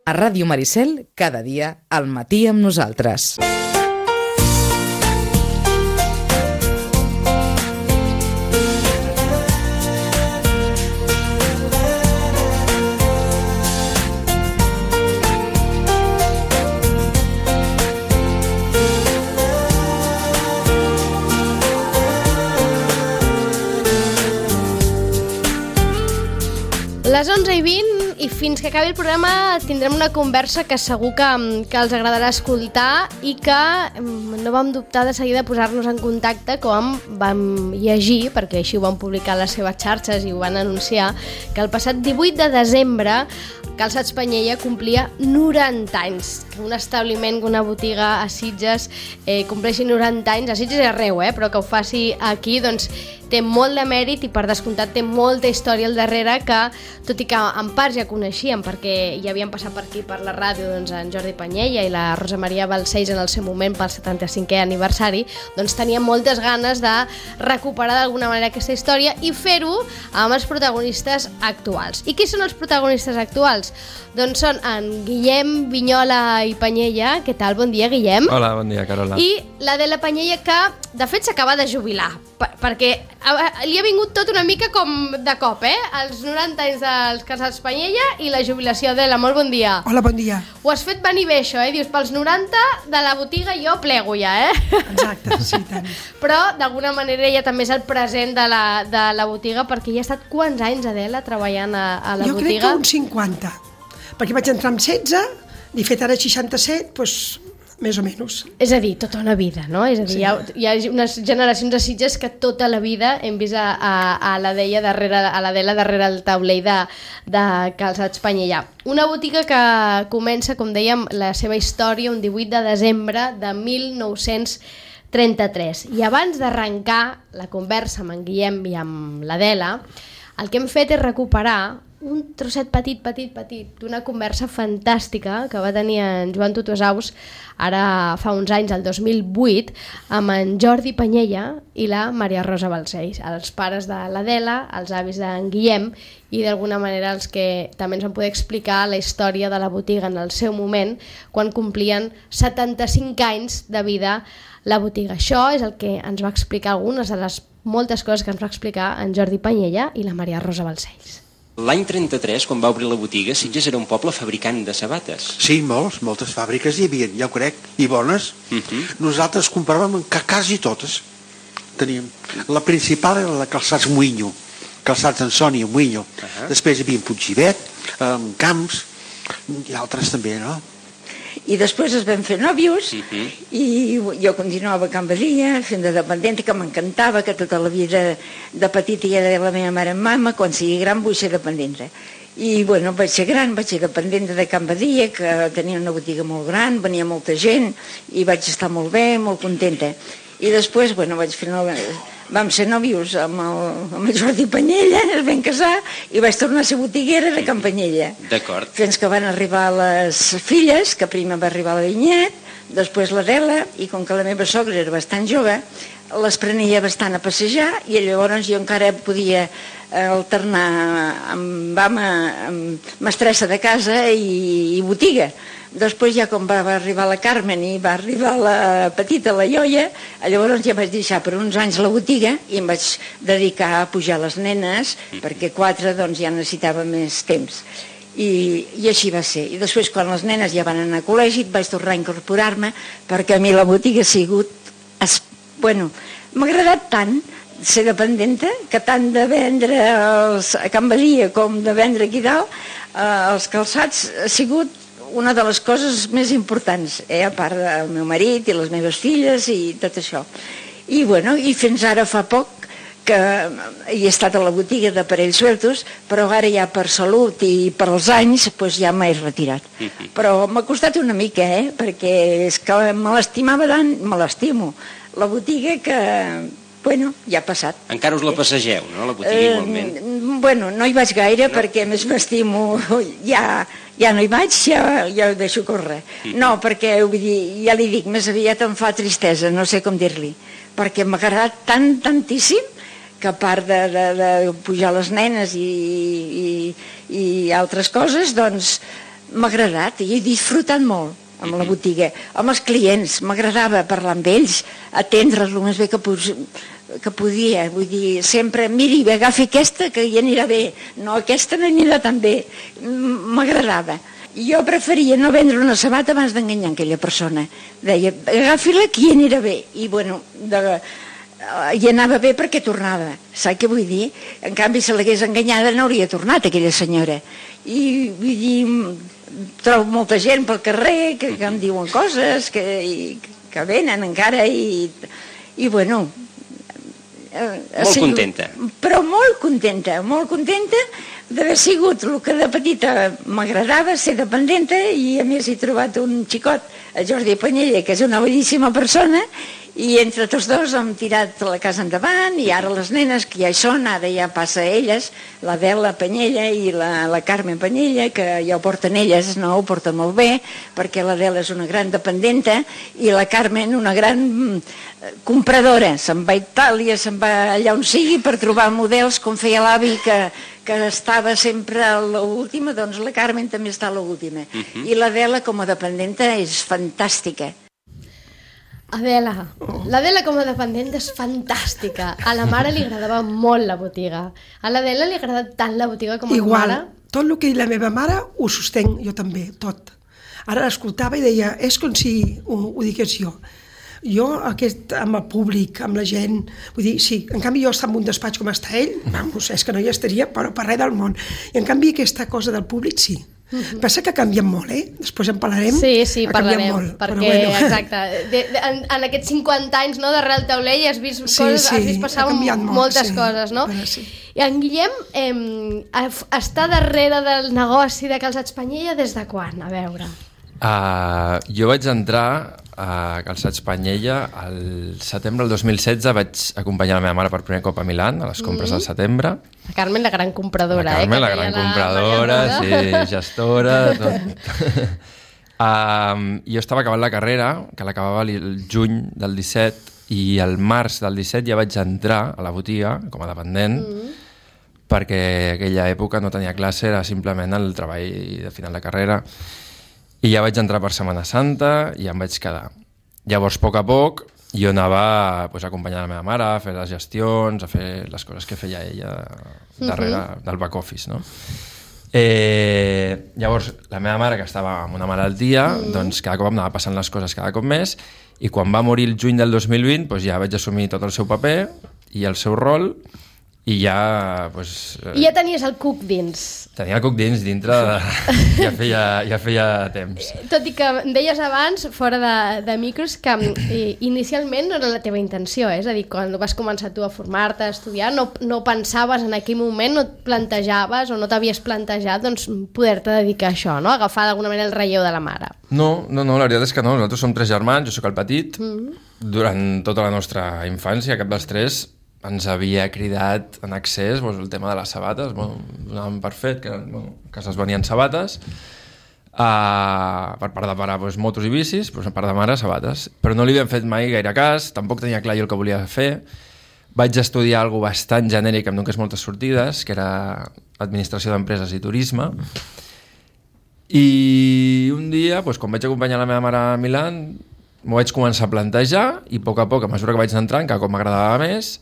A Ràdio Maricel, cada dia, al matí amb nosaltres. Les 11:20 i fins que acabi el programa tindrem una conversa que segur que els agradarà escoltar i que no vam dubtar de seguida de posar-nos en contacte com vam llegir, perquè així ho van publicar a les seves xarxes i ho van anunciar, que el passat 18 de desembre Calçats Panyella complia 90 anys. Que un establiment, una botiga a Sitges compleixi 90 anys, a Sitges i arreu, però que ho faci aquí, doncs té molt de mèrit i per descomptat té molta història al darrere que, tot i que en part ja coneixíem perquè ja havien passat per aquí per la ràdio doncs, en Jordi Panyella i la Rosa Maria Balcells en el seu moment pel 75è aniversari, doncs teníem moltes ganes de recuperar d'alguna manera aquesta història i fer-ho amb els protagonistes actuals. I qui són els protagonistes actuals? Doncs són en Guillem Vinyola i Panyella. Què tal? Bon dia, Guillem. Hola, bon dia, Carola. I l'Adela Panyella, que de fet s'acaba de jubilar, perquè li ha vingut tot una mica com de cop, els 90 anys dels Calçats Panyella i la jubilació. Adela, molt bon dia. Hola, bon dia. Ho has fet venir bé, això, Dius, pels 90 de la botiga jo plego ja, Exacte, sí, tant. Però, d'alguna manera, ella també és el present de la botiga, perquè ja ha estat quants anys, Adela, treballant a la botiga? Jo crec que uns 50, perquè vaig entrar amb 16, i fet ara 67, doncs més o menys. És a dir, tota una vida, no? És a dir, sí. Hi ha unes generacions de Sitges que tota la vida hem vist a l'Adela darrere el taulell de Calçats Panyella. Una botiga que comença, com dèiem, la seva història un 18 de desembre de 1933. I abans d'arrencar la conversa amb en Guillem i amb l'Adela, el que hem fet és recuperar un trosset petit d'una conversa fantàstica que va tenir en Joan Tutuasaus ara fa uns anys, el 2008, amb en Jordi Panyella i la Maria Rosa Balcells, els pares de l'Adela, els avis d'en Guillem i d'alguna manera els que també ens van poder explicar la història de la botiga en el seu moment quan complien 75 anys de vida la botiga. Això és el que ens va explicar algunes de les moltes coses que ens va explicar en Jordi Panyella i la Maria Rosa Balcells. L'any 33, quan va obrir la botiga, Sitges era un poble fabricant de sabates. Sí, moltes fàbriques hi havia, ja ho crec, i bones. Nosaltres compràvem quasi totes. Teníem. La principal era la Calçats Muïnyo, Calçats Ansònia, Muïnyo. Després hi havia Puiggivet, Camps, i altres també, no? I després es vam fer nòvios i jo continuava a Can Badia fent de dependenta, que m'encantava, que tota la vida de petita ja deia la meva mare en mama, quan sigui gran vull ser dependenta. I bueno, vaig ser gran, vaig ser dependenta de Can Badia, que tenia una botiga molt gran, venia molta gent i vaig estar molt bé, molt contenta. I després, bueno, vam ser nòvios amb el Jordi Panyella, es vam casar i vaig tornar a ser botiguera de Can Panyella. D'acord. Fins que van arribar les filles, que primer va arribar la Vinyet, després l'Adela, i com que la meva sogra era bastant jove, les prenia bastant a passejar i llavors jo encara podia alternar amb mestressa de casa i botiga. Després ja com va arribar la Carmen i va arribar la petita, la Ioia, llavors ja vaig deixar per uns anys la botiga i em vaig dedicar a pujar les nenes, perquè 4 doncs ja necessitava més temps. I així va ser. I després quan les nenes ja van anar a col·legi vaig tornar a incorporar-me, perquè a mi la botiga ha sigut... Bueno, m'ha agradat tant ser dependenta, que tant de vendre a Can Badia com de vendre aquí dalt, els calçats ha sigut una de les coses més importants, a part del meu marit i les meves filles i tot això. I bueno, i fins ara fa poc que hi he estat a la botiga d'aparells sueltos, però ara ja per salut i per als anys doncs ja m'he retirat. Però m'ha costat una mica, perquè és que me l'estimava tant, me l'estimo. La botiga que, bueno, ja ha passat. Encara us la passegeu, no, la botiga igualment? Bueno, no hi vaig gaire perquè més m'estimo, ja no hi vaig, ja ho deixo córrer. No, perquè vull dir, ja li dic, més aviat em fa tristesa, no sé com dir-li, perquè m'ha agradat tantíssim que a part de pujar les nenes i altres coses, doncs m'ha agradat i he disfrutat molt amb la botiga. Amb els clients m'agradava parlar amb ells, atendre'ls el més bé que podia. Vull dir, sempre, miri, agafi aquesta que hi anirà bé, no, aquesta no anirà tan bé. M'agradava. Jo preferia no vendre una sabata abans d'enganyar aquella persona. Deia, agafi-la que hi anirà bé. I bueno, hi anava bé perquè tornava. Saps què vull dir? En canvi, si l'hagués enganyada no hauria tornat aquella senyora. I vull dir, trobo molta gent pel carrer que em diuen coses, que venen encara i bueno... Molt contenta. Però molt contenta d'haver sigut el que de petita m'agradava, ser dependenta, i a més he trobat un xicot, el Jordi Panyella, que és una bellíssima persona, i entre tots dos hem tirat la casa endavant, i ara les nenes que ja hi són, ara ja passa a elles, l'Adela Panyella i la Carmen Panyella, que ja ho porten elles, no, ho porten molt bé, perquè l'Adela és una gran dependenta i la Carmen una gran compradora. Se'n va a Itàlia, se'n va allà on sigui per trobar models, com feia l'avi que estava sempre a l'última, doncs la Carmen també està a l'última. I l'Adela com a dependenta és fantàstica. L'Adela com a dependent és fantàstica. A la mare li agradava molt la botiga. A l'Adela li agrada tant la botiga com a la mare. Tot el que la meva mare ho sostenc, jo també, tot. Ara l'escoltava i deia, és com si ho digués jo. Jo, amb el públic, amb la gent, vull dir, sí, en canvi jo estar en un despatx com està ell, vamos, és que no hi estaria, però per res del món. I en canvi aquesta cosa del públic, sí. Passa que canvien molt, després en parlarem. Sí, parlarem, molt, perquè, bueno. Exacte, en aquests 50 anys, no, darrere el taulell has vist coses, has vist passar moltes coses, no? Sí. I en Guillem està darrere del negoci de Calçats Panyella des de quan? A veure. Jo vaig entrar a Calçats Panyella al setembre del 2016, vaig acompanyar la meva mare per primer cop a Milán, a les compres del setembre. La Carmen, la gran compradora. La Carmen, la gran compradora, sí, gestora, tot. Jo estava acabant la carrera, que l'acabava el juny del 17, i el març del 17 ja vaig entrar a la botiga com a dependent, perquè aquella època no tenia classe, era simplement el treball de final de carrera. I ja vaig entrar per Setmana Santa i em vaig quedar. Llavors, a poc, jo anava acompanyant la meva mare a fer les gestions, a fer les coses que feia ella darrere del back office, no? Llavors, la meva mare, que estava amb una malaltia, doncs cada cop em anava passant les coses cada cop més, i quan va morir el juny del 2020 doncs ja vaig assumir tot el seu paper i el seu rol, i ja... I ja tenies el cuc dins. Tenia el cuc dins, dintre ja feia temps. Tot i que em deies abans, fora de micros, que inicialment no era la teva intenció, és a dir, quan vas començar tu a formar-te, a estudiar, no pensaves en aquell moment, no et plantejaves o no t'havies plantejat doncs, poder-te dedicar a això, no? Agafar d'alguna manera el relleu de la mare. No, la veritat és que no. Nosaltres som 3 germans, jo sóc el petit. Durant tota la nostra infància, cap dels 3 ens havia cridat en excés el tema de les sabates. Donàvem per fet que es venien sabates, per part de pare motos i bicis, per part de mare sabates, però no li havíem fet mai gaire cas, tampoc tenia clar jo el que volia fer. Vaig estudiar alguna cosa bastant genèric, em donés moltes sortides, que era administració d'empreses i turisme, i un dia, quan vaig acompanyar la meva mare a Milán, m'ho vaig començar a plantejar, i a poc, a mesura que vaig entrant, cada cop m'agradava més.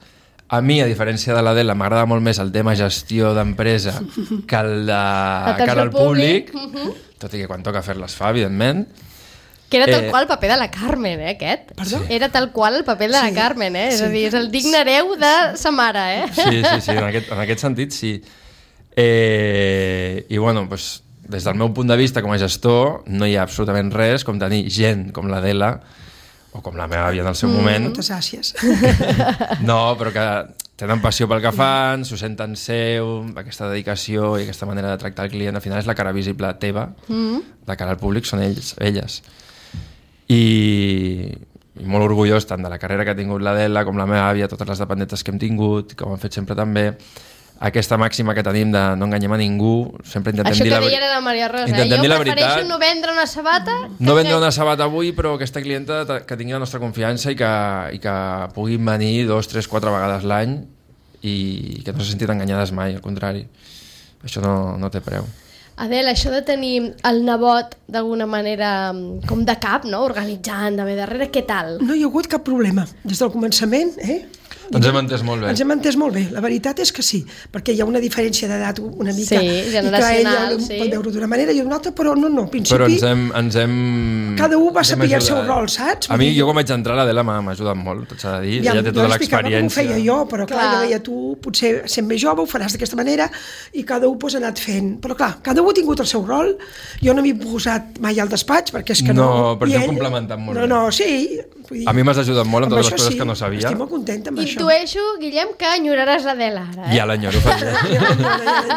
A mi, a diferència de l'Adela, m'agrada molt més el tema gestió d'empresa que el públic, tot i que quan toca fer-les fa, evidentment. Que era tal qual el paper de la Carmen, aquest. Perdó? Era tal qual el paper de la Carmen, és a dir, és el digne hereu de sa mare, Sí, en aquest sentit, sí. I, bueno, des del meu punt de vista com a gestor, no hi ha absolutament res com tenir gent com l'Adela, o com la meva àvia en el seu moment. Moltes gràcies. No, però que tenen passió pel que fan, s'ho senten seu, aquesta dedicació i aquesta manera de tractar el client, al final és la cara visible teva, de cara al públic són elles. I molt orgullós tant de la carrera que ha tingut l'Adela com la meva àvia, totes les dependentes que hem tingut, que ho han fet sempre també. Aquesta màxima que tenim de no enganyem a ningú, sempre intentem dir la veritat. Això que deia la Maria Rosa, jo prefereixo no vendre una sabata... No vendre una sabata avui, però aquesta clienta que tingui la nostra confiança i que puguin venir 2, 3, 4 vegades l'any i que no s'ha sentit enganyades mai, al contrari. Això no té preu. Adela, això de tenir el nebot d'alguna manera com de cap, no? Organitzant, de darrere, què tal? No hi ha hagut cap problema. Des del començament, Ens hem entès molt bé. Ens hem entès molt bé. La veritat és que sí, perquè hi ha una diferència d'edat una mica. Sí, generacional, i que ell sí. pot veure d'una manera i d'una altra, però no, al principi... Però ens hem... Cada un va saber el seu rol, saps? A mi, jo quan vaig entrar, l'Adela m'ha ajudat molt, tot s'ha de dir. Ella té tota l'experiència. Jo ho feia jo, però clar, jo deia, tu potser sent més jove ho faràs d'aquesta manera i cada un ha anat fent. Però clar, cada un ha tingut el seu rol. Jo no m'he posat mai al despatx, perquè és que no... No, però t'hem complementat molt bé. No, sí. A mi m'has ajudat molt amb totes les coses que no sabia. Estic molt contenta amb això. Intueixo, Guillem, que enyoraràs l'Adela ara, Ja l'enyoro.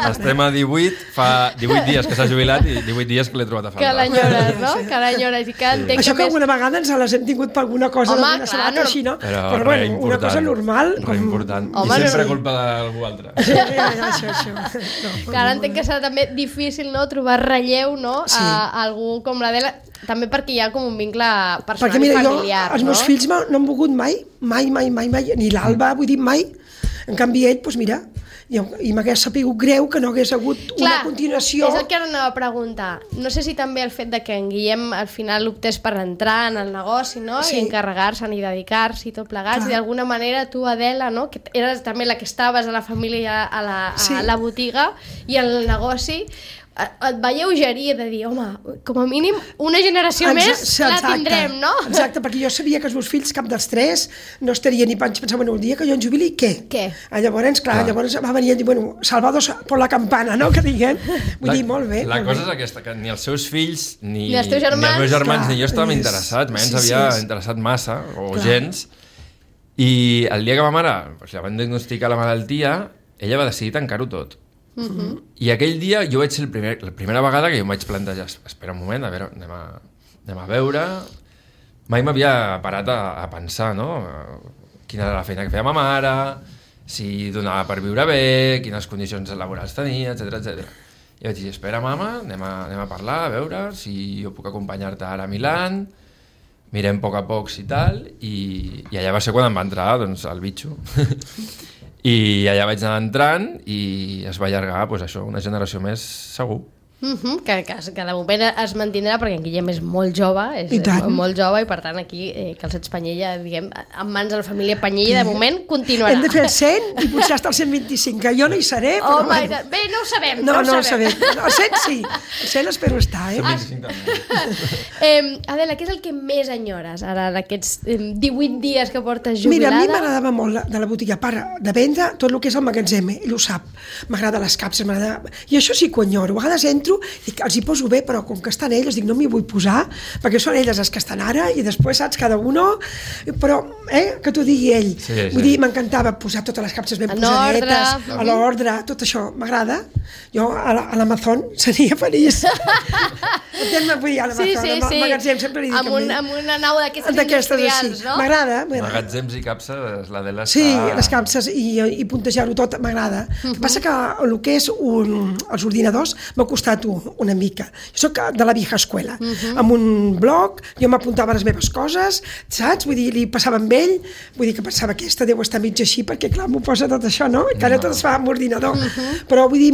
Estem a 18, fa 18 dies que s'ha jubilat i 18 dies que l'he trobat a faltar. Que l'enyores, no? Que l'enyores i que entenc això que alguna vegada ens les hem tingut per alguna cosa, home, clar, no. Així, no? Però bueno, una cosa normal. Important. Home, I sempre culpa d'algú altre. Sí, això. Que ara entenc que serà també difícil, no?, trobar relleu, no?, a algú com l'Adela, també perquè hi ha com un vincle personal i familiar, els meus fills no han volgut mai, ni l'Alba, vull dir, mai. En canvi, ell, doncs mira, i m'hagués sapigut greu que no hagués hagut una continuació. És el que ara anava a preguntar. No sé si també el fet de que en Guillem al final optés per entrar en el negoci, no?, i encarregar-se'n i dedicar-se i tot plegats, i d'alguna manera tu, Adela, no?, que eres també la que estaves a la família, a la botiga i al negoci, et va lleugerir de dir, home, com a mínim una generació més la tindrem, no? Exacte, perquè jo sabia que els meus fills, cap dels tres, no estaria ni panys, pensava, bueno, el dia que jo en jubili, què? Llavors, clar, llavors va venir a dir, bueno, salvados por la campana, no?, que diguem. Vull dir, molt bé. La cosa és aquesta, que ni els seus fills, ni els teus germans, meus germans, ni jo estàvem interessats, mai ens havia interessat massa, o gens, i el dia que ma mare la van diagnosticar la malaltia, ella va decidir tancar-ho tot. I aquell dia jo vaig ser la primera vegada que jo em vaig plantejar, espera un moment, a veure, anem a veure. Mai m'havia parat a pensar, no?, quina era la feina que feia ma mare, si donava per viure bé, quines condicions laborals tenia, etc. I vaig dir, espera, mama, anem a parlar, a veure si jo puc acompanyar-te ara a Milán, mirem a poc si tal, i allà va ser quan em va entrar, doncs, el bitxo. I allà vaig anar entrant i es va allargar, doncs això, una generació més segur. Que de moment es mantindrà perquè en Guillem és molt jove, molt jove, i per tant aquí Calçats Panyella, diguem, en mans de la família Panyella, de moment continuarà. Hem de fer el 100 i potser hasta el 125, que jo no hi seré, però... Bé, no ho sabem, no ho sabem. El 100 sí, el 100 espero estar, 125 també. Adela, què és el que més enyores ara d'aquests 18 dies que portes jubilada? Mira, a mi m'agradava molt de la botiga, a part de vendre tot el que és el magatzem, ell ho sap, m'agrada les capses, i això sí que ho enyoro, a vegades entro, dic, els hi poso bé, però com que estan elles, dic, no m'hi vull posar, perquè són elles les que estan ara, i després, saps, cada uno, però, que t'ho digui ell. Vull dir, m'encantava posar totes les capses ben posadetes, a l'ordre, tot això, m'agrada. Jo a l'Amazon seria feliç. Vull dir, a l'Amazon, al magatzem, sempre li dic amb una nau d'aquestes industrials, no? M'agrada. Magatzems i capses, l'Adela està... Sí, les capses i puntejar-ho tot, m'agrada. El que passa que el que és els ordinadors m'ha costat una mica. Jo soc de la vieja escuela. Amb un blog, jo m'apuntava les meves coses, saps? Vull dir, li passava amb ell, vull dir que pensava que aquesta deu estar mig així, perquè clar, m'ho posa tot això, no? Que ara tot es fa amb ordinador. Però vull dir,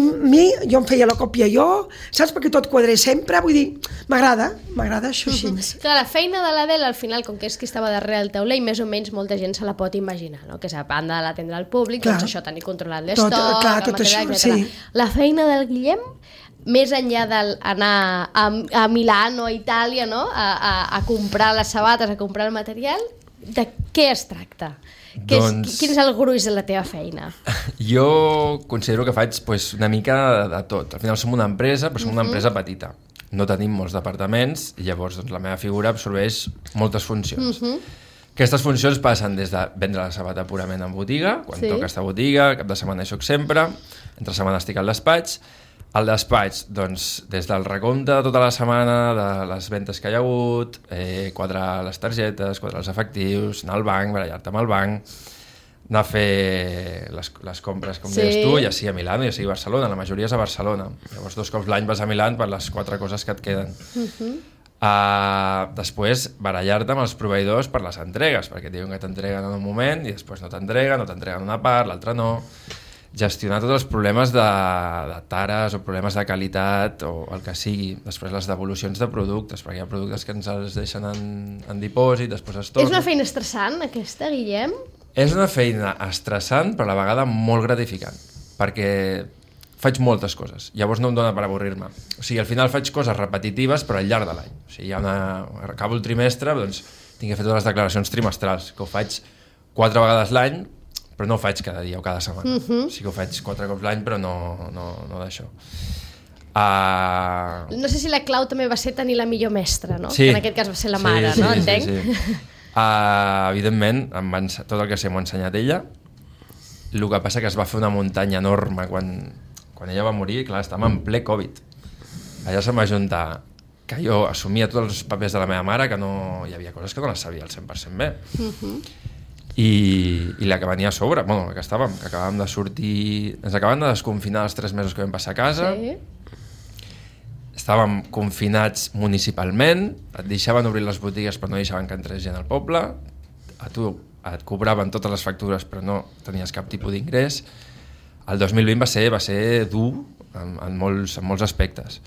jo em feia la còpia jo, saps? Perquè tot quadrés sempre, vull dir, m'agrada això així. Clar, la feina de l'Adela, al final, com que és qui estava darrere el tauler, i més o menys molta gent se la pot imaginar, no? Que és a banda de l'atendre al públic, doncs això, tenir controlat l'estoc, el material, etc. La feina del Guillem, més enllà d'anar a Milán o a Itàlia, no?, a comprar les sabates, a comprar el material, de què es tracta? Quin és el gruix de la teva feina? Jo considero que faig una mica de tot. Al final som una empresa, però som una empresa petita. No tenim molts departaments i llavors la meva figura absorbeix moltes funcions. Aquestes funcions passen des de vendre la sabata purament en botiga, quan toca estar a botiga, cap de setmana hi soc sempre, entre setmana estic al despatx. Al despatx, doncs, des del recompte de tota la setmana, de les ventes que hi ha hagut, quadrar les targetes, quadrar els efectius, anar al banc, barallar-te amb el banc, anar a fer les compres, com deies tu, ja sigui a Milà, ja sigui a Barcelona, la majoria és a Barcelona. Llavors 2 cops l'any vas a Milà per les 4 coses que et queden. Després, barallar-te amb els proveïdors per les entregues, perquè et diuen que t'entreguen en un moment i després no t'entreguen una part, l'altra no. gestionar tots els problemes de tares o problemes de qualitat o el que sigui. Després les devolucions de productes, perquè hi ha productes que ens els deixen en dipòsit, després es tornen. És una feina estressant, aquesta, Guillem? És una feina estressant, però a la vegada molt gratificant, perquè faig moltes coses, llavors no em dóna per avorrir-me. O sigui, al final faig coses repetitives, però al llarg de l'any. O sigui, acabo el trimestre, doncs tinc que fer totes les declaracions trimestrals, que ho faig 4 vegades l'any, però no ho faig cada dia o cada setmana. O sigui que ho faig 4 cops l'any, però no d'això. No sé si la clau també va ser tenir la millor mestra, no? Sí. Que en aquest cas va ser la mare, no? Entenc? Sí. Evidentment, tot el que sé m'ho ha ensenyat ella. El que passa que es va fer una muntanya enorme quan ella va morir, clar, estàvem en ple Covid. Allà se'm va juntar que jo assumia tots els papers de la meva mare, que no hi havia coses que no les sabia al 100% bé. I la que venia a sobre, bueno, que acabàvem de sortir, ens acabàvem de desconfinar els 3 mesos que vam passar a casa. Sí. Estàvem confinats municipalment, et deixaven obrir les botigues però no deixaven que entrés gent al poble, a tu et cobraven totes les factures però no tenies cap tipus d'ingrés. El 2020 va ser dur en molts aspectes.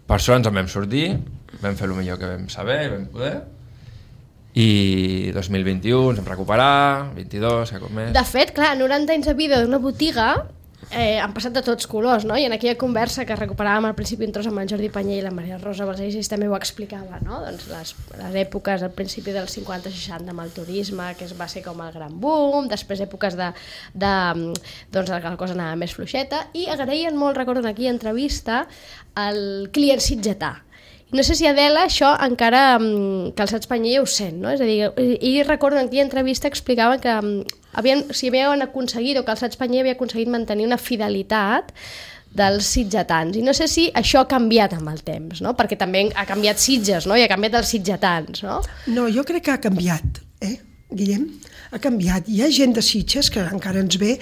Per això ens en vam sortir, vam fer el millor que vam saber i vam poder, i 2021 ens vam recuperar, 22, que cop més. De fet, clar, 90 anys de vida d'una botiga han passat de tots colors, no? I en aquella conversa que recuperàvem al principi un tros amb en Jordi Panyé i la Maria Rosa Balcells també ho explicava, no? Doncs les èpoques al principi dels 50-60 amb el turisme, que va ser com el gran boom, després èpoques doncs que la cosa anava més fluixeta, i agraïen molt, recordo en aquella entrevista, el client sitgetà. No sé si Adela això encara Calçats Panyé ja ho sent, no? És a dir, i recordo en aquella entrevista explicaven que havien aconseguit, o Calçats Panyé havia aconseguit mantenir una fidelitat dels sitgetans. I no sé si això ha canviat amb el temps, no? Perquè també ha canviat Sitges, no? I ha canviat els sitgetans, no? No, jo crec que ha canviat, Guillem? Ha canviat. Hi ha gent de Sitges que encara ens ve,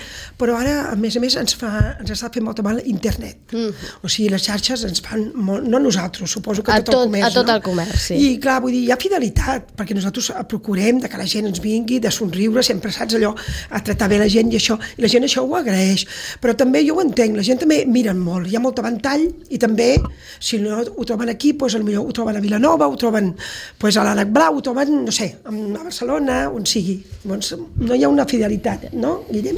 però ara, a més, ens està fent molt mal internet. O sigui, les xarxes ens fan molt, no nosaltres, suposo que tot el comerç. A tot el comerç, sí. I clar, vull dir, hi ha fidelitat, perquè nosaltres procurem que la gent ens vingui, de somriure, sempre saps allò, a tractar bé la gent i això, i la gent això ho agraeix. Però també jo ho entenc, la gent també miren molt, hi ha molt ventall, i també, si no ho troben aquí, doncs potser ho troben a Vilanova, ho troben a l'Ànec Blau, ho troben, no sé, a Barcelona, on sigui. Doncs no hi ha una fidelitat, no, Guillem?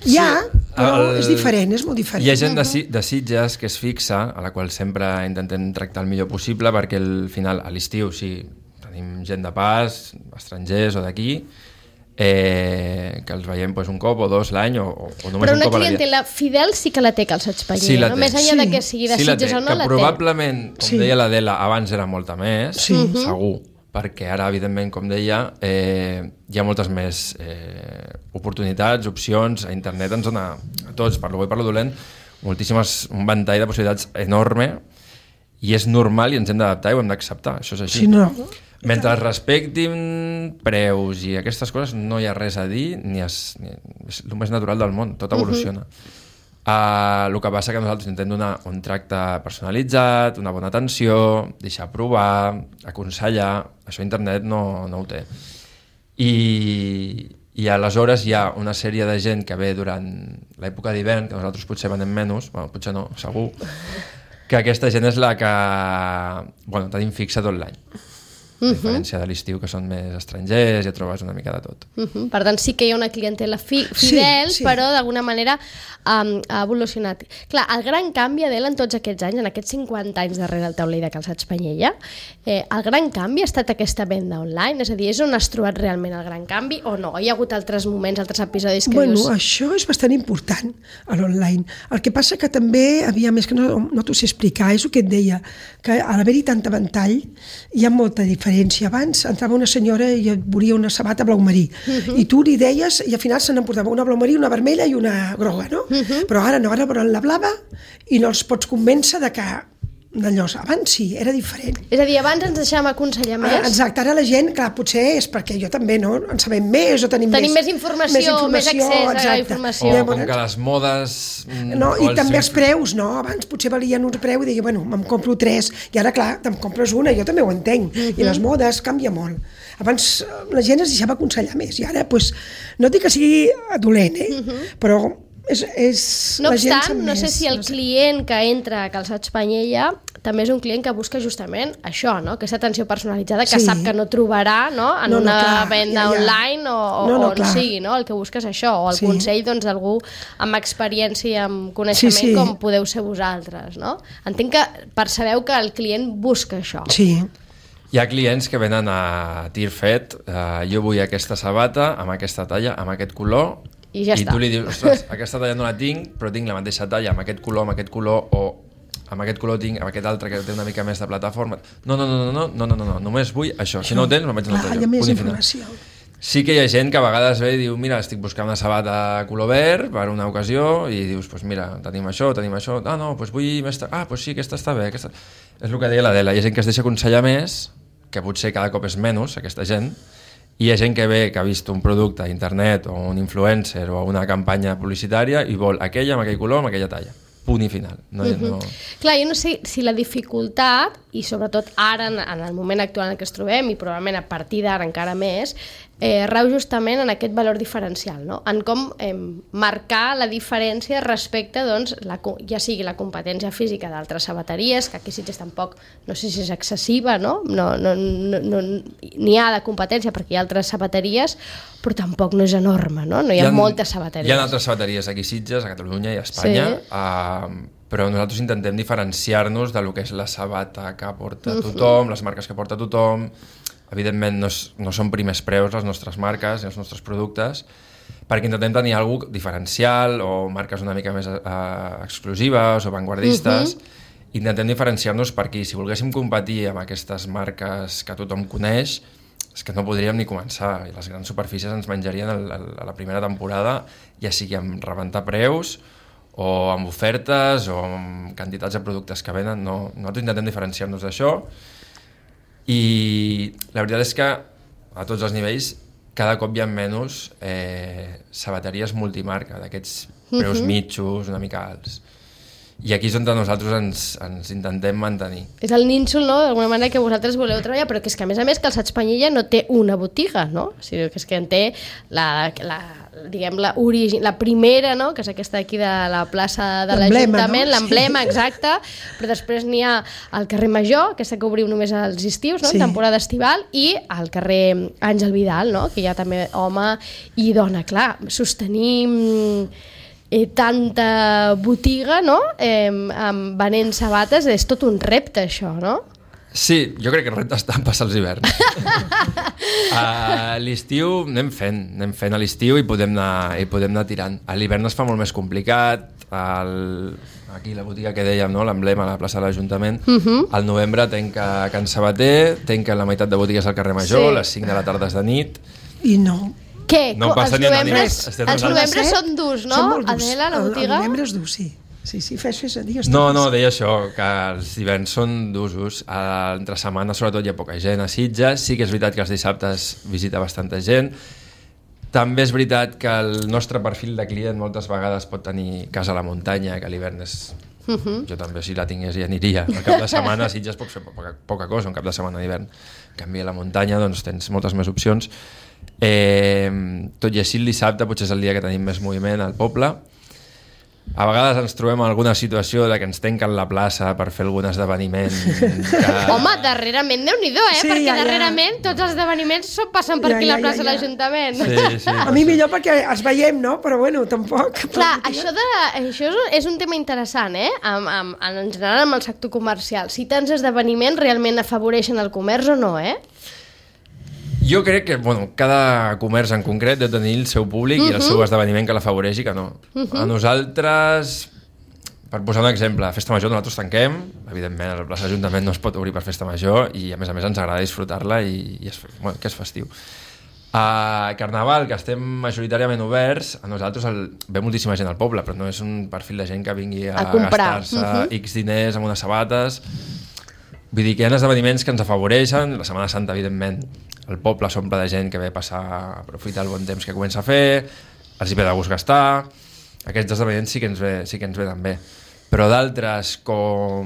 Hi ha, però és diferent, és molt diferent. Hi ha gent de Sitges que es fixa, a la qual sempre intentem tractar el millor possible, perquè al final, a l'estiu, sí, tenim gent de pas, estrangers o d'aquí, que els veiem un cop o dos l'any o només un cop a la vida. Però una clientela fidel sí que la té Calçats Panyé, sí, no? Més enllà de que sigui de Sitges o no, la té. Que probablement, com deia l'Adela, abans era molta més, segur, perquè ara, evidentment, com deia, hi ha moltes més oportunitats, opcions, a internet ens dona a tots, per lo bo i per lo dolent, un ventall de possibilitats enorme, i és normal i ens hem d'adaptar i ho hem d'acceptar, això és així. Sí, no. Mentre es respectin preus i aquestes coses, no hi ha res a dir, és el més natural del món, tot evoluciona. El que passa que nosaltres intentem donar un tracte personalitzat, una bona atenció, deixar provar, aconsellar, això internet no ho té. I aleshores hi ha una sèrie de gent que ve durant l'època d'hivern, que nosaltres potser venem menys, potser no, segur, que aquesta gent és la que tenim fixa tot l'any. A diferència de l'estiu, que són més estrangers, ja trobes una mica de tot. Per tant, sí que hi ha una clientela fidel, però d'alguna manera ha evolucionat. Clar, el gran canvi, Adela, en tots aquests anys, en aquests 50 anys darrere el taulell de Calçats Panyella, el gran canvi ha estat aquesta venda online? És a dir, és on has trobat realment el gran canvi o no? Hi ha hagut altres moments, altres episodis que dius... Això és bastant important, a l'online. El que passa que també, és que no t'ho sé explicar, és el que et deia, que a l'haver-hi tanta ventall hi ha molta diferència. Abans entrava una senyora i et volia una sabata blau marí i tu li deies i al final se n'emportava una blau marí, una vermella i una groga, no? Però ara no, ara volen la blava i no els pots convèncer de que d'allò, abans sí, era diferent. És a dir, abans ens deixàvem aconsellar més? Exacte, ara la gent, clar, potser és perquè jo també, no? En sabem més o tenim més informació, més accés a la informació. O com que les modes... No, i també els preus, no? Abans potser valien un preu i deia, me'n compro 3, i ara, clar, te'n compres una, jo també ho entenc, i les modes canvia molt. Abans la gent es deixava aconsellar més, i ara, no dic que sigui dolent, però No obstant, no sé si el client que entra a Calçats Panyella també és un client que busca justament això, no? Aquesta atenció personalitzada que sap que no trobarà, no? En una venda online o on sigui, no? El que busca és això, o el consell d'algú amb experiència i amb coneixement com podeu ser vosaltres, no? Entenc que percebeu que el client busca això. Sí. Hi ha clients que venen a tir fet, jo vull aquesta sabata amb aquesta talla, amb aquest color, i ja està. Tu li dius, ostres, aquesta talla no la tinc, però tinc la mateixa talla amb aquest color, o amb aquest color tinc, amb aquest altre que té una mica més de plataforma. No, només vull això. Si no ho tens, me'n vaig a l'altre lloc. Hi ha més informació. Sí que hi ha gent que a vegades ve i diu, mira, estic buscant una sabata color verd per una ocasió, i dius, pues mira, tenim això, no, pues vull més... pues sí, aquesta està bé, aquesta... És el que deia l'Adela, hi ha gent que es deixa aconsellar més, que potser cada cop és menys, aquesta gent, i hi ha gent que ve, que ha vist un producte a internet o un influencer o una campanya publicitària i vol aquella amb aquell color, amb aquella talla. Punt i final. Clar, jo no sé si la dificultat, i sobretot ara, en el moment actual en què ens trobem, i probablement a partir d'ara encara més, rau justament en aquest valor diferencial, no? En com marcar la diferència respecte, doncs, ja sigui la competència física d'altres sabateries, que aquí Sitges tampoc, no sé si és excessiva, no? N'hi ha de competència perquè hi ha altres sabateries, però tampoc no és enorme, no? No hi ha moltes sabateries. Hi ha altres sabateries aquí a Sitges, a Catalunya i a Espanya, però nosaltres intentem diferenciar-nos de lo que és la sabata que porta tothom, les marques que porta tothom. Evidentment no són primers preus les nostres marques i els nostres productes, perquè intentem tenir alguna cosa diferencial o marques una mica més exclusives o vanguardistes. Intentem diferenciar-nos per aquí. Si volguéssim competir amb aquestes marques que tothom coneix, és que no podríem ni començar, i les grans superfícies ens menjarien a la primera temporada, ja sigui amb rebentar preus o amb ofertes o amb quantitats de productes que venen. Nosaltres intentem diferenciar-nos d'això, i la veritat és que a tots els nivells cada cop hi ha menys sabateries multimarca, d'aquests preus mitjos, una mica alts. I aquí és on nosaltres ens intentem mantenir. És el nínxol, no?, d'alguna manera que vosaltres voleu treballar, però que és que a més Calçats Panyella no té una botiga, no? O sigui, que és que en té la primera, no?, que és aquesta aquí de la plaça de l'Ajuntament, no? L'emblema, exacte, però després n'hi ha al carrer Major, aquesta que obriu només als estius, no?, en temporada estival, i al carrer Àngel Vidal, no?, que hi ha també home i dona. Clar, sostenir tanta botiga, no?, venent sabates, és tot un repte, això, no? Sí, jo crec que el repte està en passar els hiverns. A l'estiu anem fent a l'estiu i podem anar tirant. A l'hivern es fa molt més complicat. Aquí la botiga que dèiem, no?, l'emblema a la plaça de l'Ajuntament, al novembre tanca Can Sabater, tanca la meitat de botigues al carrer Major, les 5 de la tarda és de nit. I no... Què? No passa ni una nit. Els novembres són durs, no? Adela, la botiga? El novembre és dur, sí. Sí, fes a dir. No, deia això, que els hiverns són d'usos. Entre setmana, sobretot, hi ha poca gent a Sitges. Sí que és veritat que els dissabtes visita bastanta gent. També és veritat que el nostre perfil de client moltes vegades pot tenir casa a la muntanya, que l'hivern és... Jo també, si la tingués, ja aniria. Al cap de setmana a Sitges pots fer poca cosa, un cap de setmana d'hivern. En canvi, a la muntanya doncs, tens moltes més opcions. Tot i així, el dissabte potser és el dia que tenim més moviment al poble. A vegades ens trobem en alguna situació de que ens tanquen la plaça per fer algun esdeveniment Home, darrerament, Déu-n'hi-do, perquè darrerament tots els esdeveniments passen per aquí la plaça de l'Ajuntament. Sí. A mi millor perquè els veiem, no? Però bueno, tampoc. Clar, això és un tema interessant, en general amb el sector comercial. Si tants esdeveniments realment afavoreixen el comerç o no, Jo crec que cada comerç en concret deu tenir el seu públic i el seu esdeveniment que l'afavoreix i que no. A nosaltres, per posar un exemple, a Festa Major nosaltres tanquem, evidentment a la plaça de l'Ajuntament no es pot obrir per Festa Major i a més ens agrada disfrutar-la i que és festiu. A Carnaval, que estem majoritàriament oberts, a nosaltres ve moltíssima gent al poble, però no és un perfil de gent que vingui a gastar-se X diners amb unes sabates. Vull dir que hi ha esdeveniments que ens afavoreixen. La Setmana Santa, evidentment, el poble s'omple de gent que ve a aprofitar el bon temps que comença a fer, els hi ve de gust gastar. Aquests esdeveniments sí que ens ve també. Però d'altres, com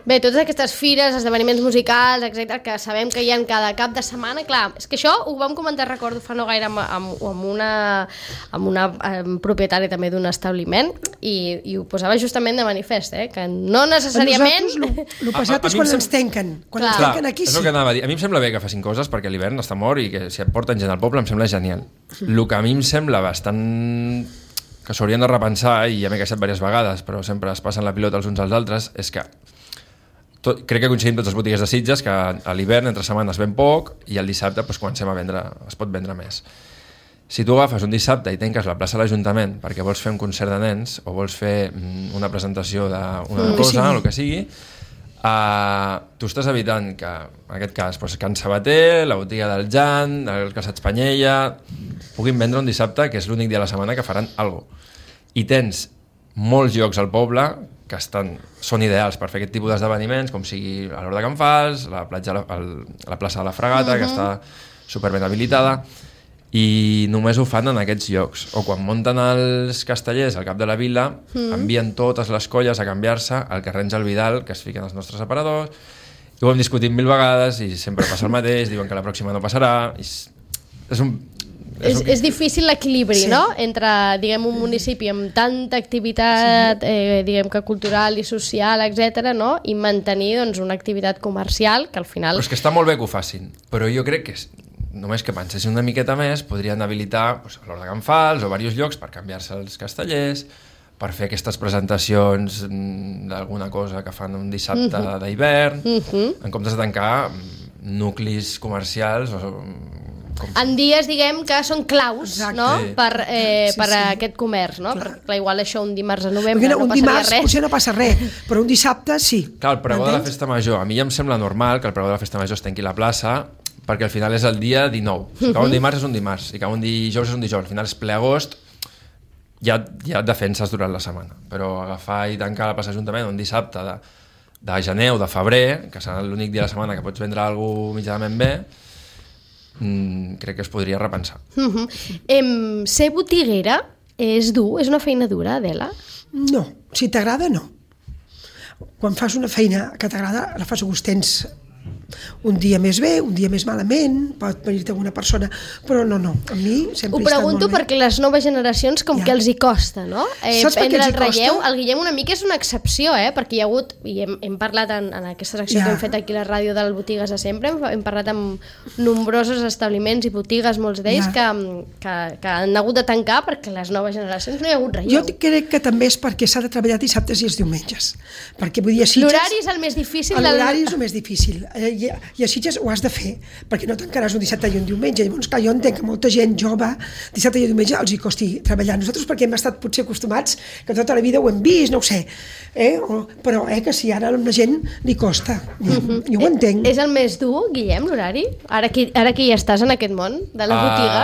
Bé, totes aquestes fires, esdeveniments musicals, etc, que sabem que hi ha cada cap de setmana, clar, és que això ho vam comentar, recordo, fa no gaire amb una propietària també d'un establiment i ho posava justament de manifest, que no necessàriament... A nosaltres el passat és quan ens tanquen. Quan ens tanquen aquí sí. És el que anava a dir. A mi em sembla bé que facin coses perquè l'hivern està mort i que si et porten gent al poble em sembla genial. El que a mi em sembla bastant... que s'haurien de repensar, i ja m'he queixat diverses vegades, però sempre es passen la pilota els uns als altres, és que crec que coincidim totes les botigues de Sitges que a l'hivern, entre setmana, es ven poc i el dissabte comencem a vendre, es pot vendre més. Si tu agafes un dissabte i tanques la plaça de l'Ajuntament perquè vols fer un concert de nens o vols fer una presentació d'una cosa, el que sigui, tu estàs evitant que, en aquest cas, Can Sabater, la botiga del Jan, el Calçats Panyella, puguin vendre un dissabte, que és l'únic dia de la setmana que faran alguna cosa. I tens molts llocs al poble que són ideals per fer aquest tipus d'esdeveniments, com sigui a l'Hort de Can Fals, la plaça de la Fragata, que està superben habilitada, i només ho fan en aquests llocs. O quan munten els castellers al cap de la vila, envien totes les colles a canviar-se al carrer Àngel Vidal, que es fiquen els nostres aparadors, i ho hem discutit 1000 vegades i sempre passa el mateix, diuen que la pròxima no passarà, és difícil l'equilibri, no? Entre, diguem, un municipi amb tanta activitat, diguem que cultural i social, etc, no? I mantenir, doncs, una activitat comercial que al final... Però és que està molt bé que ho facin, però jo crec que només que pensessin una miqueta més podrien habilitar a l'Hort de Can Fals o diversos llocs per canviar-se els castellers, per fer aquestes presentacions d'alguna cosa que fan un dissabte d'hivern, en comptes de tancar nuclis comercials en dies, diguem, que són claus, no? Per aquest comerç, no? Perquè igual això un dimarts a novembre no passaria res. Potser no passa res, però un dissabte sí. Clar, el pregó de la festa major, a mi ja em sembla normal que el pregó de la festa major es tanqui la plaça, perquè al final és el dia 19. Si cau un dimarts és un dimarts, si cau un dijous és un dijous. Al final és ple agost, ja et defenses durant la setmana. Però agafar i tancar la plaça d'Ajuntament un dissabte de gener o de febrer, que serà l'únic dia de la setmana que pots vendre alguna cosa mitjanament bé, crec que es podria repensar. Ser botiguera és dur? És una feina dura, Adela? No, si t'agrada, no. Quan fas una feina que t'agrada, la fas a gustens. Un dia més bé, un dia més malament, pot venir-te alguna persona, però no, a mi sempre ho pregunto perquè les noves generacions com que els hi costa, no? Prendre el relleu. El Guillem una mica és una excepció, perquè hi ha hagut, i hem parlat en aquesta secció que hem fet aquí a la ràdio del Botigues de Sempre, hem parlat amb nombrosos establiments i botigues, molts d'ells, que han hagut de tancar perquè les noves generacions no hi ha hagut relleu. Jo crec que també és perquè s'ha de treballar dissabtes i els diumenges, perquè vull dir a Sitges... L'horari és el més difícil. L'horari és el més difícil. I a Sitges ho has de fer, perquè no tancaràs un dissabte i un diumenge. Llavors, clar, jo entenc que molta gent jove, dissabte i diumenge, els hi costi treballar. Nosaltres perquè hem estat potser acostumats, que tota la vida ho hem vist, no ho sé, però que sí, ara a la gent li costa. Jo ho entenc. És el més dur, Guillem, l'horari? Ara que ja estàs en aquest món de la botiga?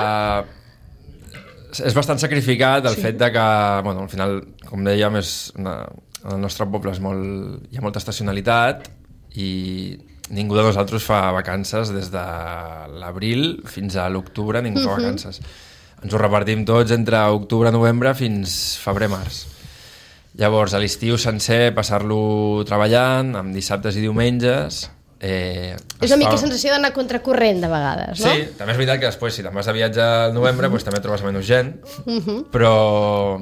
És bastant sacrificat el fet de que, al final, com dèiem, el nostre poble hi ha molta estacionalitat i ningú de nosaltres fa vacances des de l'abril fins a l'octubre, ningú fa vacances. Ens ho repartim tots entre octubre, novembre fins febrer-març. Llavors, a l'estiu sencer, passar-lo treballant, amb dissabtes i diumenges... És una mica sensació d'anar contracorrent de vegades, no? Sí, també és veritat que després, si te'n vas de viatge al novembre, també trobes menys gent, però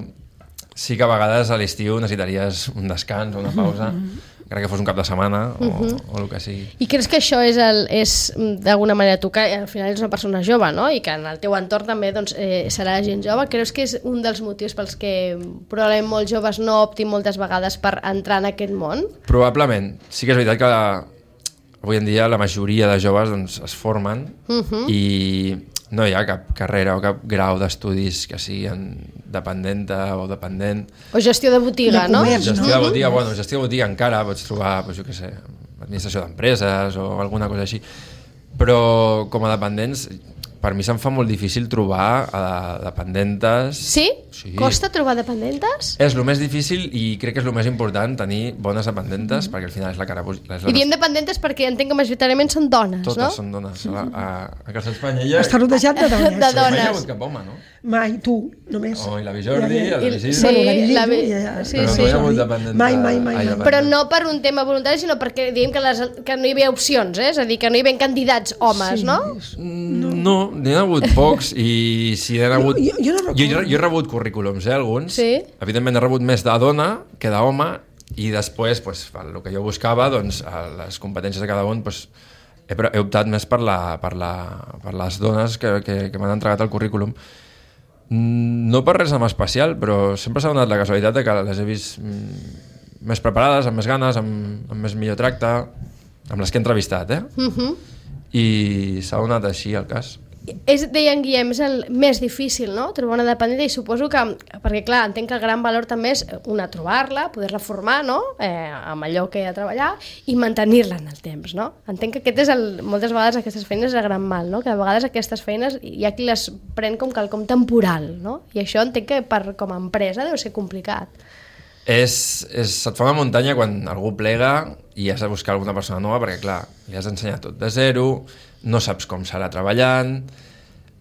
sí que a vegades a l'estiu necessitaries un descans o una pausa, encara que fos un cap de setmana o el que sigui. I creus que això és d'alguna manera, tu que al final ets una persona jove, no? I que en el teu entorn també serà gent jove, creus que és un dels motius pels que probablement molts joves no optin moltes vegades per entrar en aquest món? Probablement. Sí que és veritat que avui en dia la majoria de joves es formen i no hi ha cap carrera o cap grau d'estudis que siguin dependenta o dependent. O gestió de botiga, no? Gestió de botiga, gestió de botiga encara pots trobar, jo què sé, administració d'empreses o alguna cosa així. Però com a dependents per mi se'm fa molt difícil trobar dependentes. Sí? Costa trobar dependentes? És el més difícil i crec que és el més important, tenir bones dependentes, perquè al final és la cara... I diem dependentes perquè entenc que majoritàriament són dones, totes no? són dones. A Casa Espanya Està rodejat de dones. De dones. Mai hi ha hagut cap home, no? Mai, tu, només. I la Jordi, el Isidre... Sí, Bueno, sí, però sí. no hi ha hagut dependentes. Mai. Però no per un tema voluntari, sinó perquè diguem que no hi havia opcions, és a dir, que no hi havia candidats homes, no? No, n'hi ha hagut pocs i si n'hi ha hagut... Jo no recordo. Jo he rebut currículums, alguns. Sí. Evidentment he rebut més de dona que d'home i després, pues, el que jo buscava, doncs, les competències de cada un, pues, he optat més per les dones que m'han entregat el currículum. No per res en especial, però sempre s'ha donat la casualitat de que les he vist més preparades, amb més ganes, amb més millor tracte, amb les que he entrevistat, I s'ha donat així el cas. Deia en Guillem, és el més difícil, no?, trobar una dependenta, i suposo que, perquè clar, entenc que el gran valor també és trobar-la, poder-la formar, no?, amb allò que ha de treballar, i mantenir-la en el temps, no? Entenc que aquest és moltes vegades aquestes feines és el gran mal, no?, que a vegades aquestes feines hi ha qui les pren com quelcom temporal, no?, i això entenc que com a empresa deu ser complicat. Se't fa una muntanya quan algú plega i has de buscar alguna persona nova, perquè clar, li has d'ensenyar tot de zero, no saps com serà treballant,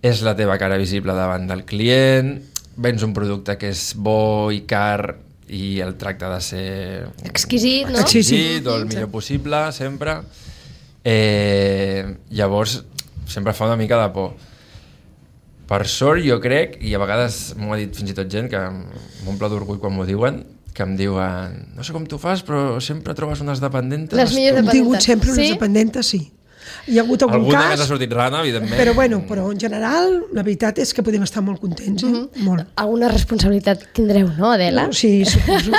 és la teva cara visible davant del client, vens un producte que és bo i car i el tracte ha de ser exquisit, no? Exquisit, o el millor possible, sempre. Llavors, sempre fa una mica de por. Per sort, jo crec, i a vegades m'ho ha dit fins i tot gent que m'omple d'orgull quan m'ho diuen, que em diuen, no sé com tu fas, però sempre trobes unes dependentes. Les millors Hem dependentes. tingut sempre unes dependentes, sí. Hi ha hagut algun Alguna cas... més ha sortit rana, evidentment. Però en general, la veritat és que podem estar molt contents, molt. Alguna responsabilitat tindreu, no, Adela? Sí, suposo.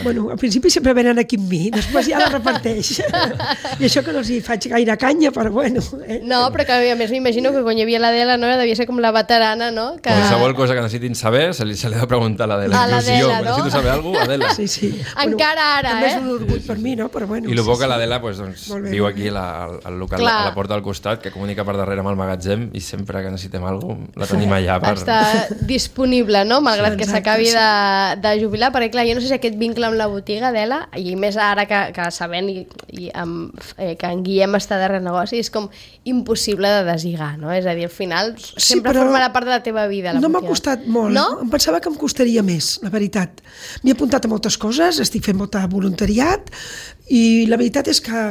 Bueno, al principi sempre venen aquí amb mi, després ja la reparteix. I això que no els hi faig gaire canya, però bueno. No, però que a més m'imagino que quan hi havia l'Adela, no, devia ser com la veterana, no? Que... Qualsevol cosa que necessitin saber se li ha de preguntar a l'Adela. A l'Adela, no? Necessito saber alguna cosa, Adela. Sí. Encara ara, també és un orgull per mi, no? Però bueno, I el bo que l'Adela doncs, viu aquí al local, Clar. a la porta del costat, que comunica per darrere amb el magatzem, i sempre que necessitem alguna cosa la tenim allà. Està disponible, no? Malgrat que s'acabi de jubilar, perquè clar, jo no sé si aquest vincle amb la botiga, Adela, i més ara que sabent que en Guillem està darrere negoci, és com impossible de deslligar, no? És a dir, al final sempre formarà part de la teva vida, la botiga. No m'ha costat molt, no? Em pensava que em costaria més, la veritat. M'he apuntat a moltes coses, estic fent molt de voluntariat, i la veritat és que,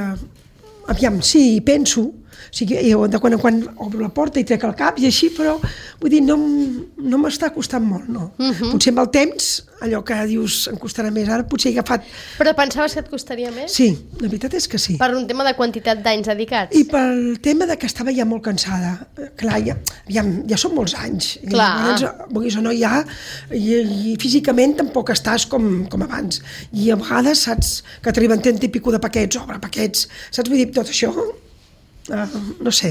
aviam, sí, penso, o sigui, jo de quan en quan obro la porta i trec el cap i així, però vull dir, no m'està costant molt, no. Potser amb el temps, allò que dius em costarà més, ara potser he agafat... Però pensaves que et costaria més? Sí, la veritat és que sí. Per un tema de quantitat d'anys dedicats? I pel tema de que estava ja molt cansada. Clar, ja són molts anys. Clar. I llavors, vulguis o no, ja... I físicament tampoc estàs com abans. I a vegades saps que t'arriben 30 i pico de paquets, obre paquets, saps? Vull dir, tot això... no sé.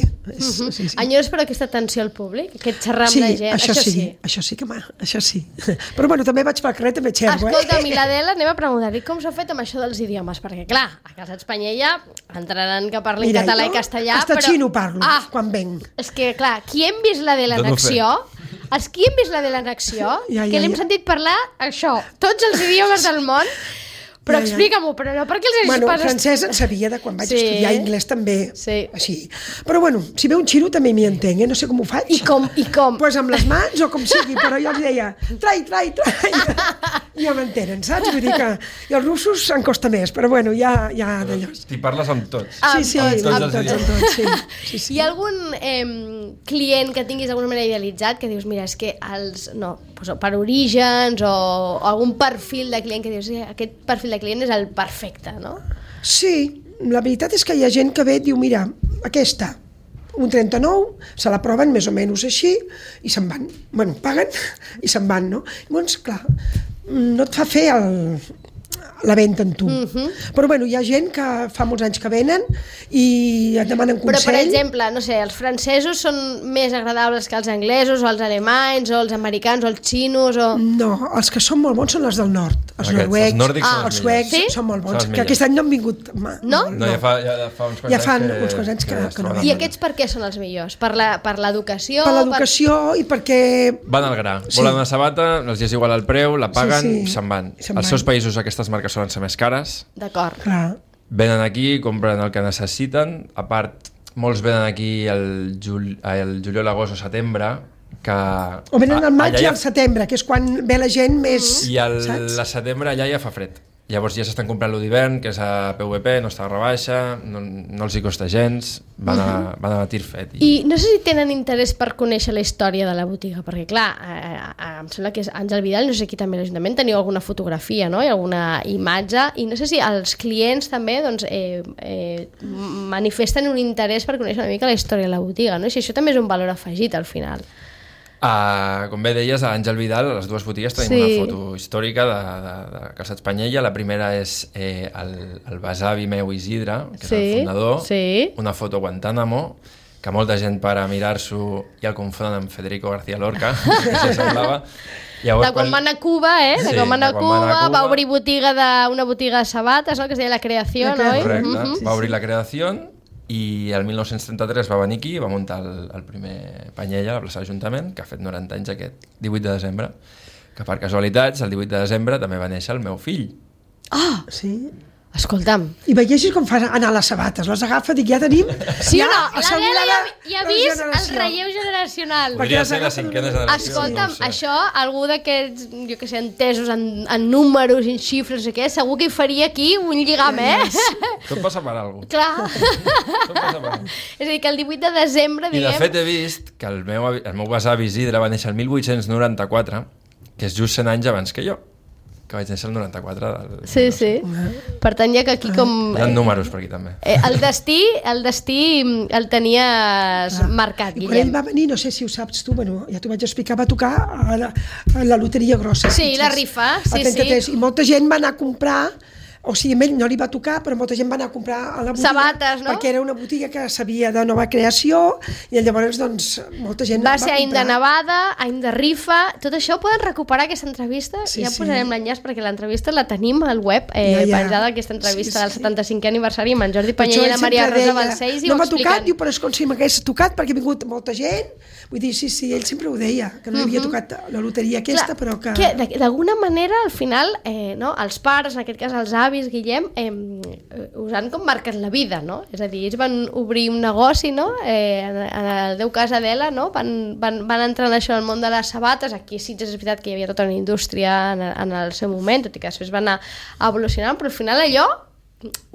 Sí. Enyores per aquesta atenció al públic, aquest xerrar amb la gent. Això sí. Però bueno, també vaig pel carrer, també xerro. Escolta'm, i l'Adela, anem a preguntar-li com s'ha fet amb això dels idiomes, perquè clar, a Casa Espanyella entraran que parlin català i castellà, hasta xino parlo, quan venc. És que clar, qui hem vist l'Adela en acció, els qui hem vist l'Adela en acció, que l'hem sentit parlar això, tots els idiomes del món. Però explica-m'ho, però no perquè els hagis pas... francès en sabia de quan vaig estudiar, anglès també, així. Però bueno, si ve un xino també m'hi entenc, no sé com ho faig. I com? Pues amb les mans o com sigui, però jo els deia, trai. I ja m'entenen, saps? Vull dir que... I els russos em costa més, però bueno, ja d'allò. T'hi parles amb tots. Sí, amb tots, sí. Hi ha algun client que tinguis d'alguna manera idealitzat, que dius, mira, és que per orígens o algun perfil de client que dius, aquest perfil de client és el perfecte, no? Sí, la veritat és que hi ha gent que ve i diu, mira, aquesta, un 39, se la proven més o menys així i se'n van. Bueno, paguen i se'n van, no? Llavors, clar, no et fa fer la venda amb tu. Però bueno, hi ha gent que fa molts anys que venen i et demanen consell. Però, per exemple, no sé, els francesos són més agradables que els anglesos, o els alemanys, o els americans, o els xinos, o... No, els que són molt bons són els del nord. Els noruecs, els nòrdics són els suecs són molt bons. Que aquest any no han vingut. No? No, ja fa uns quants anys que no I aquests per què són els millors? Per l'educació? Per l'educació i perquè... Van al gra. Volen una sabata, els és igual el preu, la paguen i se'n van. Els seus països aquestes marques solen ser més cares. D'acord. Venen aquí, compren el que necessiten. A part, molts venen aquí el juliol, agost o setembre, que... O venen al maig i al setembre, que és quan ve la gent més... I al setembre allà ja fa fred. Llavors ja s'estan comprant lo d'hivern, que és a PVP, no està a rebaixa, no els hi costa gens, van a tir fet. I no sé si tenen interès per conèixer la història de la botiga, perquè clar, em sembla que és Àngel Vidal, no sé qui també a l'Ajuntament, teniu alguna fotografia, no? I alguna imatge, i no sé si els clients també doncs, manifesten un interès per conèixer una mica la història de la botiga, no? I si això també és un valor afegit al final. Com bé deies, a Àngel Vidal, a les dues botigues tenim una foto històrica de Calçats Panyella. La primera és el besavi meu Isidre, que és el fundador, una foto a Guantánamo, que molta gent para mirar-s'ho i el confonen amb Federico García Lorca, que s'assemblava. De quan va anar a Cuba, de quan va anar a Cuba, va obrir una botiga de sabates, no? Que es deia La Creació, no? Correcte, va obrir La Creació, i el 1933 va venir aquí i va muntar el primer Panyella a la plaça de l'Ajuntament, que ha fet 90 anys aquest 18 de desembre, que per casualitats el 18 de desembre també va néixer el meu fill. Ah! Sí? Escolta'm. I veieixis com fa anar les sabates, les agafa, dic, ja tenim... Sí o no? L'Adela ja ha vist el relleu generacional. Podria ser la cinquena generació. Escolta'm, això, algú d'aquests, jo que sé, entesos en números, en xifres, no sé què, segur que hi faria aquí un lligam, Tot passa per alguna cosa. Clar. Tot passa per alguna cosa. És a dir, que el 18 de desembre, diguem... I de fet he vist que el meu besavi Isidre va néixer el 1894, que és just 100 anys abans que jo, que vaig néixer el 94 Sí. Per tant, ja que aquí com... Hi ha números per aquí també. El destí el tenies marcat, Guillem. Quan ell va venir, no sé si ho saps tu, bueno, ja t'ho vaig explicar, va tocar a la loteria grossa. Sí, la rifa, sí. I molta gent va anar a comprar, o sigui, a ell no li va tocar, però molta gent va anar a comprar a la botiga. Sabates, no? Perquè era una botiga que sabia de nova creació, i llavors, doncs, molta gent va ser any de nevada, any de rifa, tot això ho poden recuperar, aquesta entrevista, ja posarem l'enllaç, perquè l'entrevista la tenim al web, penjada, aquesta entrevista del 75è aniversari amb en Jordi Panyella i la Maria Rosa Balcells, i ho expliquen. No m'ha tocat, diu, però és com si m'hagués tocat, perquè ha vingut molta gent, vull dir, sí, ell sempre ho deia, que no li havia tocat la loteria aquesta, però que... D'alguna manera, al final, els pares, en aquest cas els avis, Guillem, us han com marcat la vida, no? És a dir, ells van obrir un negoci, no? En el teu cas, Adela, no? Van entrar en això, en el món de les sabates. Aquí sí que és veritat que hi havia tota una indústria en el seu moment, tot i que després va anar evolucionant, però al final allò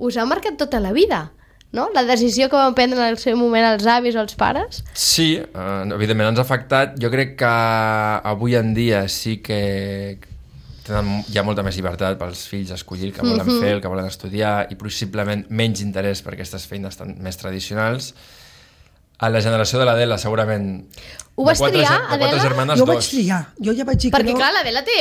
us ha marcat tota la vida, no? La decisió que van prendre en el seu moment els avis o els pares. Sí, evidentment ens ha afectat. Jo crec que avui en dia sí que hi ha molta més llibertat pels fills a escollir el que volen fer, el que volen estudiar, i possiblement menys interès per aquestes feines més tradicionals. A la generació de l'Adela, segurament... Ho vas triar, Adela? Jo ho vaig triar, jo ja vaig dir que no... Perquè clar, l'Adela té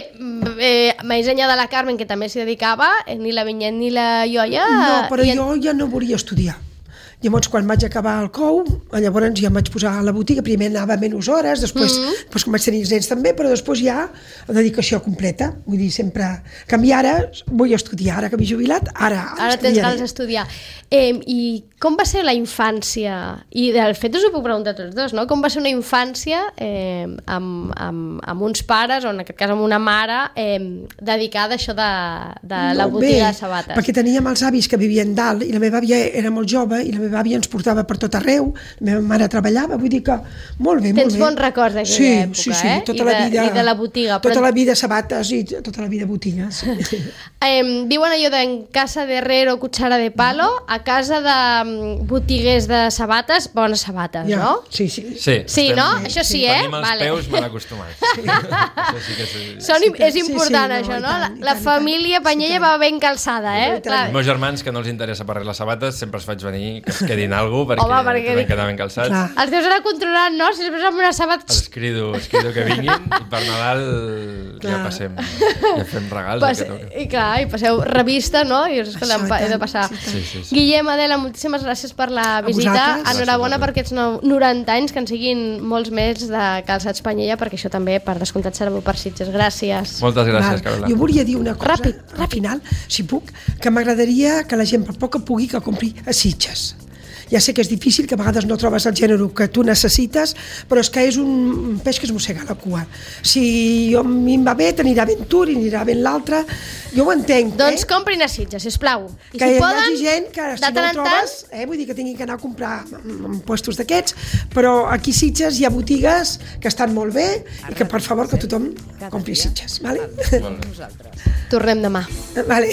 més enllà de la Carmen, que també s'hi dedicava, ni la Vinyet ni la Ioia... No, però jo ja no volia estudiar. Llavors, quan vaig acabar el COU, llavors ja em vaig posar a la botiga, primer anava menys hores, després com vaig tenir els nens també, però després ja la dedicació completa, vull dir, sempre... Que a mi ara vull estudiar, ara que m'he jubilat, ara tens ganes d'estudiar. I com va ser la infància? I de fet us ho puc preguntar tots dos, no? Com va ser una infància amb uns pares, o en aquest cas amb una mare, dedicada a això de la botiga de sabates? Perquè teníem els avis que vivien dalt, i la meva àvia era molt jove, i la meva àvia ens portava per tot arreu, la meva mare treballava, vull dir que molt bé, molt bé. Tens bons records d'aquella època, sí, tota la vida, i de la botiga. Tota la vida sabates i tota la vida botigues. Diuen allò de en casa de herrero, cuchara de palo, a casa de botiguers de sabates, bones sabates, Ja. no? Sí. Sí, no? Això sí, Tenim els Vale. peus mal acostumats. Això sí que és... És important, això, no? La família Panyella va ben calçada, Els meus germans, que no els interessa per res les sabates, sempre els faig venir que es quedin alguna cosa, Home, perquè tenen que anar ben calçats. Clar. Els teus anar controlant, no? Si després amb unes sabates... Els crido que vinguin i per Nadal ja passem, ja fem regals. I passeu revista, no? I dius, escolta, he de passar. Sí. Guillem, Adela, moltíssimes gràcies per la visita. vosaltres. Enhorabona per aquests 90 anys, que en siguin molts més de Calçats Panyella, perquè això també, per descomptat, serà per Sitges. Gràcies. Moltes gràcies, Carola. Jo volia dir una cosa, Ràpid. al final, si puc, que m'agradaria que la gent per poc que pugui que compri a Sitges. Ja sé que és difícil, que a vegades no trobes el gènere que tu necessites, però és que és un peix que es mossega la cua. Si a mi em va bé, t'anirà ben tu, anirà ben l'altre. Jo ho entenc, Doncs comprin a Sitges, sisplau. I que si hi poden, hagi gent que si de no tant ho en tant, trobes, vull dir que tinguin que anar a comprar en puestos d'aquests, però aquí a Sitges hi ha botigues que estan molt bé i que per favor que tothom compri Sitges, vale? tornem demà. Vale.